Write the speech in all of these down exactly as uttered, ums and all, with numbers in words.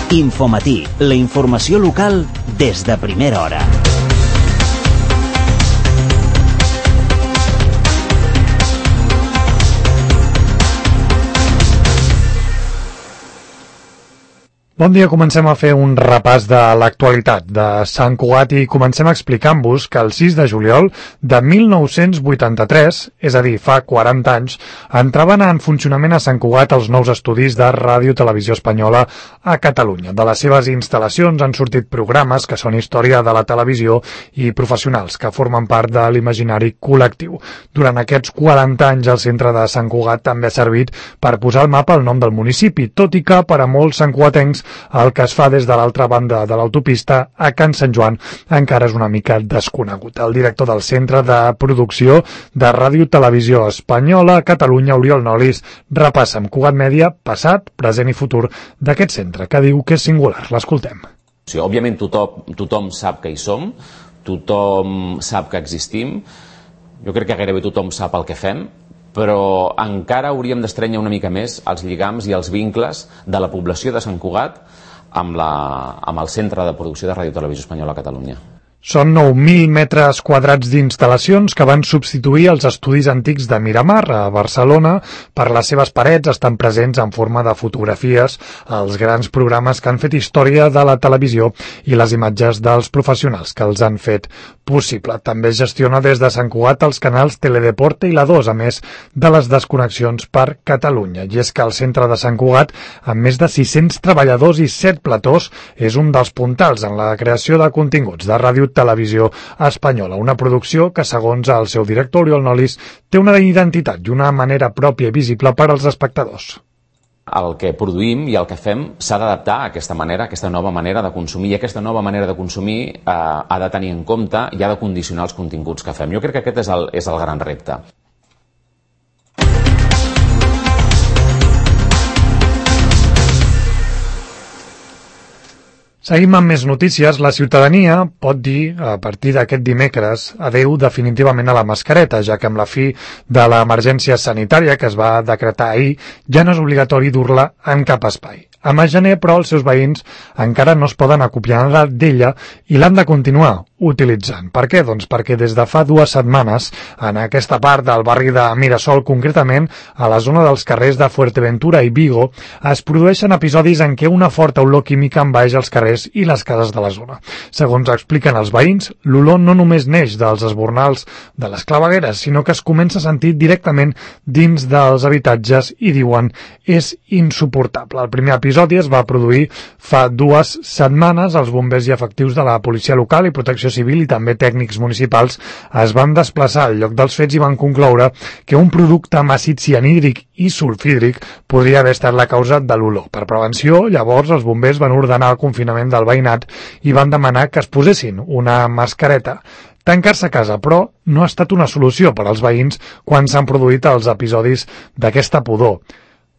Infomatí, la informació local des de primera hora. Bon dia, comencem a fer un repàs de l'actualitat de Sant Cugat i comencem explicant-vos que el sis de juliol de mil nou-cents vuitanta-tres, és a dir, fa quaranta anys, entraven en funcionament a Sant Cugat els nous estudis de Ràdio Televisió Espanyola a Catalunya. De les seves instal·lacions han sortit programes que són història de la televisió i professionals que formen part de l'imaginari col·lectiu. Durant aquests quaranta anys el centre de Sant Cugat també ha servit per posar al mapa el nom del municipi, tot i que per a molts santcugatencs el que es fa des de l'altra banda de l'autopista a Can Sant Joan encara és una mica desconegut. El director del Centre de Producció de Ràdio Televisió Espanyola a Catalunya, Oriol Nolis, repassa amb Cugat Mèdia passat, present i futur d'aquest centre, que diu que és singular. L'escoltem. Sí, òbviament tothom, tothom sap que hi som, tothom sap que existim, jo crec que gairebé tothom sap el que fem, però encara hauríem d'estrènyer una mica més els lligams i els vincles de la població de Sant Cugat amb, la, amb el Centre de Producció de Ràdio Televisió Espanyola a Catalunya. Són nou mil metres quadrats d'instal·lacions que van substituir els estudis antics de Miramar a Barcelona. Per les seves parets estan presents en forma de fotografies els grans programes que han fet història de la televisió i les imatges dels professionals que els han fet possible. També es gestiona des de Sant Cugat els canals Teledeporte i la dos, a més de les desconnexions per Catalunya. I és que el centre de Sant Cugat, amb més de sis-cents treballadors i set platós, és un dels puntals en la creació de continguts de Ràdio Televisió Espanyola, una producció que, segons el seu director, Oriol Nolis, té una identitat i una manera pròpia i visible per als espectadors. El que produïm i el que fem s'ha d'adaptar a aquesta manera, a aquesta nova manera de consumir, i aquesta nova manera de consumir eh, ha de tenir en compte i ha de condicionar els continguts que fem. Jo crec que aquest és el, és el gran repte. Seguim amb més notícies. La ciutadania pot dir, a partir d'aquest dimecres, adeu definitivament a la mascareta, ja que amb la fi de l'emergència sanitària que es va decretar ahir, ja no és obligatori dur-la en cap espai. A mes gener, però, els seus veïns encara no es poden acopiar d'ella i l'han de continuar utilitzant. Per què? Doncs perquè des de fa dues setmanes, en aquesta part del barri de Mirasol, concretament, a la zona dels carrers de Fuerteventura i Vigo, es produeixen episodis en què una forta olor química envaeix els carrers i les cases de la zona. Segons expliquen els veïns, l'olor no només neix dels esbornals de les clavegueres, sinó que es comença a sentir directament dins dels habitatges i diuen és insuportable. El primer episodi es va produir fa dues setmanes. Els bombers i efectius de la policia local i protecció civil i també tècnics municipals es van desplaçar al lloc dels fets i van concloure que un producte amb àcid cianhídric i sulfídric podria haver estat la causa de l'olor. Per prevenció, llavors, els bombers van ordenar el confinament del veïnat i van demanar que es posessin una mascareta. Tancar-se a casa, però, no ha estat una solució per als veïns quan s'han produït els episodis d'aquesta pudor.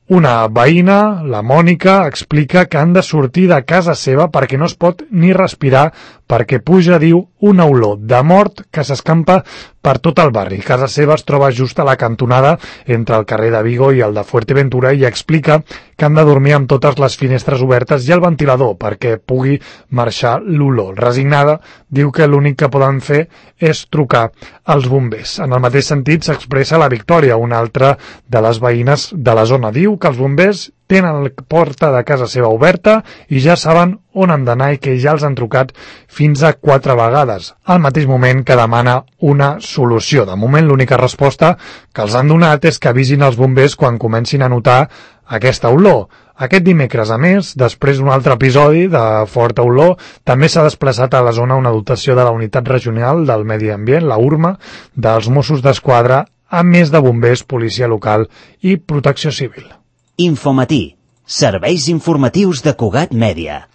Una veïna, la Mònica, explica que han de sortir de casa seva perquè no es pot ni respirar perquè puja, diu, una olor de mort que s'escampa per tot el barri. Casa seva es troba just a la cantonada entre el carrer de Vigo i el de Fuerteventura i explica que han de dormir amb totes les finestres obertes i el ventilador perquè pugui marxar l'olor. Resignada, diu que l'únic que poden fer és trucar als bombers. En el mateix sentit s'expressa la Victòria, una altra de les veïnes de la zona. Diu que els bombers tenen la porta de casa seva oberta i ja saben on han d'anar i que ja els han trucat fins a quatre vegades, al mateix moment que demana una solució. De moment, l'única resposta que els han donat és que avisin els bombers quan comencin a notar aquesta olor. Aquest dimecres, a més, després d'un altre episodi de forta olor, també s'ha desplaçat a la zona una dotació de la Unitat Regional del Medi Ambient, la U R M A, dels Mossos d'Esquadra, a més de bombers, policia local i protecció civil. Infomatí, serveis informatius de Cugat Mèdia.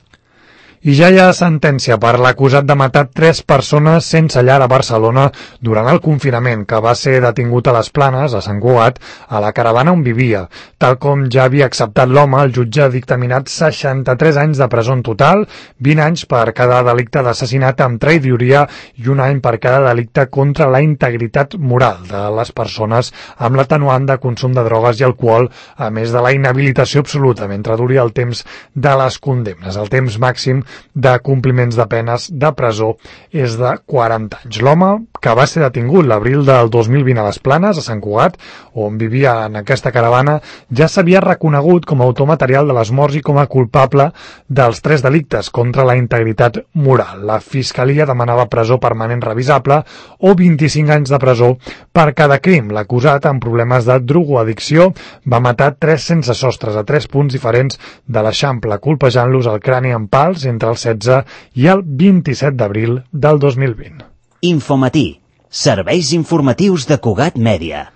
I ja hi ha sentència per l'acusat de matar tres persones sense llar a Barcelona durant el confinament, que va ser detingut a les Planes, a Sant Cugat, a la caravana on vivia. Tal com ja havia acceptat l'home, el jutge ha dictaminat seixanta-tres anys de presó en total, vint anys per cada delicte d'assassinat amb traïdoria i un any per cada delicte contra la integritat moral de les persones, amb l'atenuant de consum de drogues i alcohol, a més de la inhabilitació absoluta mentre duri el temps de les condemnes. El temps màxim de compliments de penes de presó és de quaranta anys. L'home, que va ser detingut l'abril del dos mil vint a les Planes, a Sant Cugat, on vivia en aquesta caravana, ja s'havia reconegut com a autor material de les morts i com a culpable dels tres delictes contra la integritat moral. La Fiscalia demanava presó permanent revisable o vint-i-cinc anys de presó per cada crim. L'acusat, amb problemes de drogoaddicció, va matar tres sense sostres a tres punts diferents de l'Eixample, colpejant-los el crani amb pals entre el setze i el vint-i-set d'abril del dos mil vint. Infomatí, serveis informatius de Cugat Mèdia.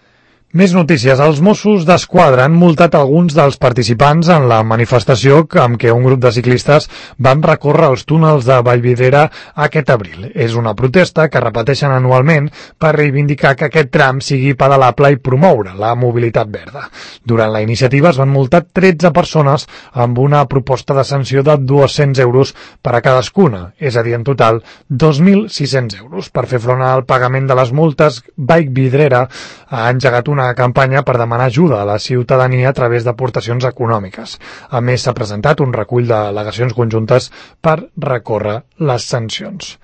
Més notícies. Els Mossos d'Esquadra han multat alguns dels participants en la manifestació amb què un grup de ciclistes van recórrer els túnels de Vallvidrera aquest abril. És una protesta que repeteixen anualment per reivindicar que aquest tram sigui pedalable i promoure la mobilitat verda. Durant la iniciativa es van multar tretze persones amb una proposta de sanció de dos-cents euros per a cadascuna, és a dir, en total dos mil sis-cents euros. Per fer front al pagament de les multes, Vallvidrera ha engegat una campanya per demanar ajuda a la ciutadania a través d'aportacions econòmiques. A més, s'ha presentat un recull d'al·legacions conjuntes per recórrer les sancions.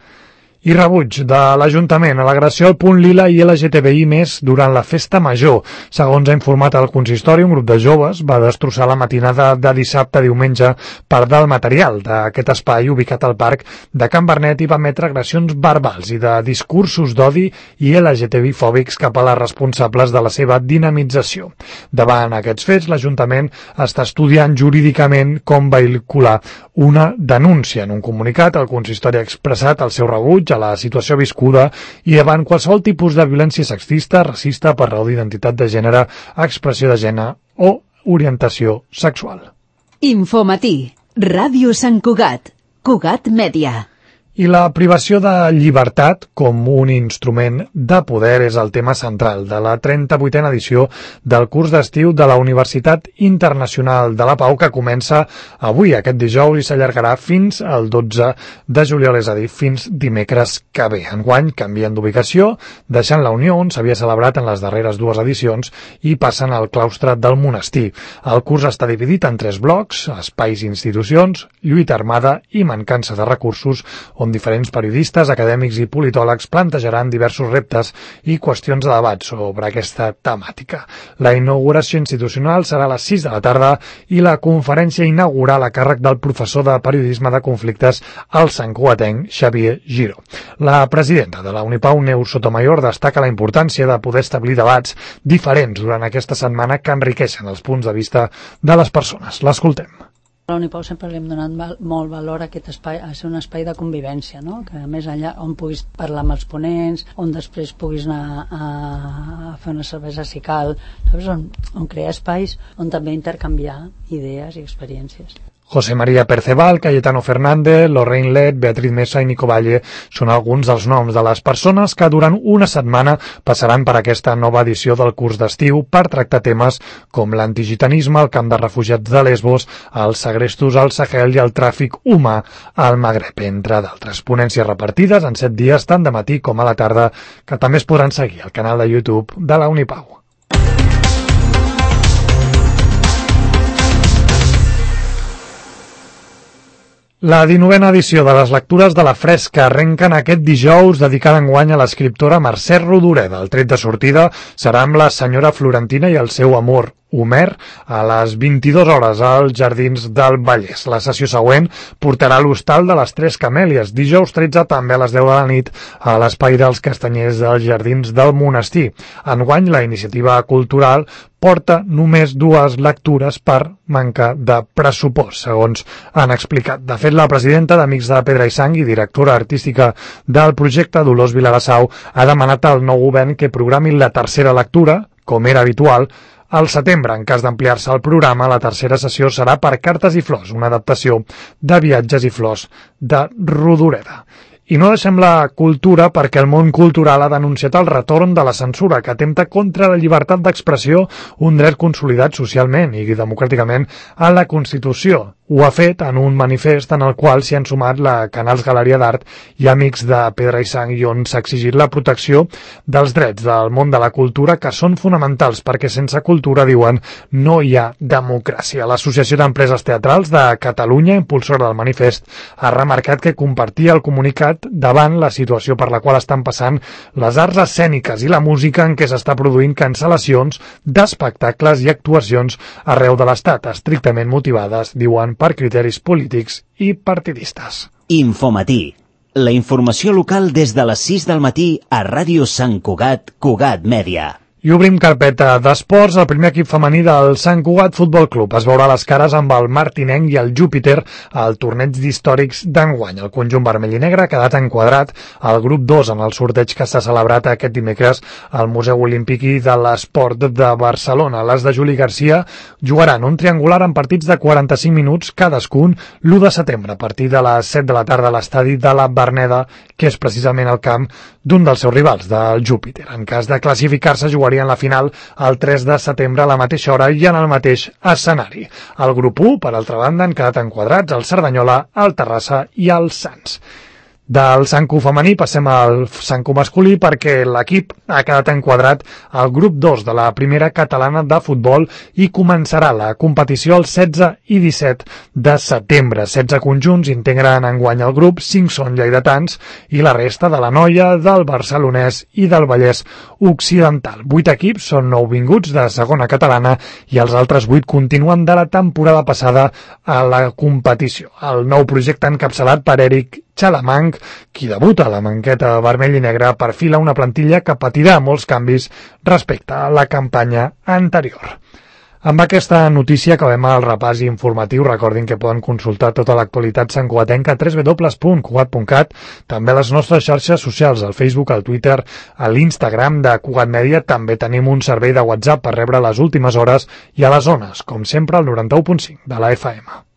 I rebuig de l'Ajuntament a l'agressió al Punt Lila i L G T B I més durant la festa major. Segons ha informat el consistori, un grup de joves va destrossar la matinada de dissabte a diumenge part del material d'aquest espai ubicat al parc de Can Bernet i va emetre agressions verbals i de discursos d'odi i L G T B I fòbics cap a les responsables de la seva dinamització. Davant aquests fets, l'Ajuntament està estudiant jurídicament com vehicular una denúncia. En un comunicat, el consistori ha expressat el seu rebuig a la situació viscuda i davant qualsevol tipus de violència sexista, racista, per raó d'identitat de gènere, expressió de gènere o orientació sexual. Infomatí, Ràdio Sant Cugat, Cugat Mèdia. I la privació de llibertat com un instrument de poder és el tema central de la trenta-vuitena edició del curs d'estiu de la Universitat Internacional de la Pau, que comença avui, aquest dijous, i s'allargarà fins al dotze de juliol, és a dir, fins dimecres que ve. Enguany canvien d'ubicació, deixant la Unió, on s'havia celebrat en les darreres dues edicions, i passen al claustre del monestir. El curs està dividit en tres blocs: espais i institucions, lluita armada i mancança de recursos, on diferents periodistes, acadèmics i politòlegs plantejaran diversos reptes i qüestions de debat sobre aquesta temàtica. La inauguració institucional serà a les sis de la tarda i la conferència inaugural a càrrec del professor de periodisme de conflictes al santcugatenc Xavier Giró. La presidenta de la Unipau, Neus Sotomayor, destaca la importància de poder establir debats diferents durant aquesta setmana que enriqueixen els punts de vista de les persones. L'escoltem. A la Unipau sempre li hem donat val, molt valor a aquest espai, a ser un espai de convivència, no? Que més enllà on puguis parlar amb els ponents, on després puguis anar a, a fer una cervesa si cal, saps? On, on crear espais on també intercanviar idees i experiències. José María Perceval, Cayetano Fernández, Lorraine Led, Beatriz Mesa i Nico Valle són alguns dels noms de les persones que durant una setmana passaran per aquesta nova edició del curs d'estiu per tractar temes com l'antigitanisme, el camp de refugiats de Lesbos, els segrestos al Sahel i el tràfic humà al Magreb, entre d'altres. Ponències repartides en set dies, tant de matí com a la tarda, que també es podran seguir al canal de YouTube de la Unipau. La dinovena edició de les lectures de la Fresca arrenquen aquest dijous, dedicada enguany a l'escriptora Mercè Rodoreda. El tret de sortida serà amb la senyora Florentina i el seu amor Homer a les vint-i-dues hores als Jardins del Vallès. La sessió següent portarà a l'Hostal de les Tres Camèlies, dijous tretze també a les deu de la nit a l'Espai dels Castanyers dels Jardins del Monestir. Enguany la iniciativa cultural porta només dues lectures per manca de pressupost, segons han explicat. De fet, la presidenta d'Amics de Pedra i Sang i directora artística del projecte, Dolors Vilarassau, ha demanat al nou govern que programi la tercera lectura, com era habitual, Al setembre, en cas d'ampliar-se el programa, la tercera sessió serà per Cartes i Flors, una adaptació de Viatges i Flors de Rodoreda. I no deixem la cultura perquè el món cultural ha denunciat el retorn de la censura que atempta contra la llibertat d'expressió, un dret consolidat socialment i democràticament a la Constitució. Ho ha fet en un manifest en el qual s'hi han sumat la Canals Galeria d'Art i Amics de Pedra i Sang, i on s'ha exigit la protecció dels drets del món de la cultura, que són fonamentals perquè sense cultura, diuen, no hi ha democràcia. L'Associació d'Empreses Teatrals de Catalunya, impulsora del manifest, ha remarcat que compartia el comunicat davant la situació per la qual estan passant les arts escèniques i la música, en què s'està produint cancel·lacions d'espectacles i actuacions arreu de l'Estat, estrictament motivades, diuen, per criteris polítics i partidistes. Infomatí. La informació local des de les sis del matí a Ràdio Sant Cugat, Cugat Mèdia. I obrim carpeta d'esports. El primer equip femení del Sant Cugat Futbol Club es veurà les cares amb el Martinenc i el Júpiter al torneig d'històrics d'enguany. El conjunt vermell i negre ha quedat enquadrat al grup dos en el sorteig que s'ha celebrat aquest dimecres al Museu Olímpic i de l'Esport de Barcelona. Les de Juli Garcia jugaran un triangular en partits de quaranta-cinc minuts cadascun l'u de setembre a partir de les set de la tarda a l'estadi de la Verneda, que és precisament el camp d'un dels seus rivals, del Júpiter. En cas de classificar-se, jugarien la final el tres de setembre a la mateixa hora i en el mateix escenari. El grup u, per altra banda, han quedat enquadrats el Cerdanyola, el Terrassa i el Sants. Del Sant Cu femení passem al Sant Cu masculí perquè l'equip ha quedat enquadrat al grup dos de la primera catalana de futbol i començarà la competició el setze i disset de setembre. setze conjunts integren enguany el grup, cinc són lleidatans i la resta de la Noia, del Barcelonès i del Vallès Occidental. vuit equips són nouvinguts de segona catalana i els altres vuit continuen de la temporada passada a la competició. El nou projecte encapçalat per Eric Xalamanc, qui debuta a la manqueta vermell i negra, perfila una plantilla que patirà molts canvis respecte a la campanya anterior. Amb aquesta notícia acabem el repàs informatiu. Recordin que poden consultar tota l'actualitat santcugatenca a w w w punt cugat punt cat, també a les nostres xarxes socials, al Facebook, al Twitter, a l'Instagram de Cugat Mèdia. També tenim un servei de WhatsApp per rebre les últimes hores i a les zones, com sempre, al noranta-u punt cinc de la F M.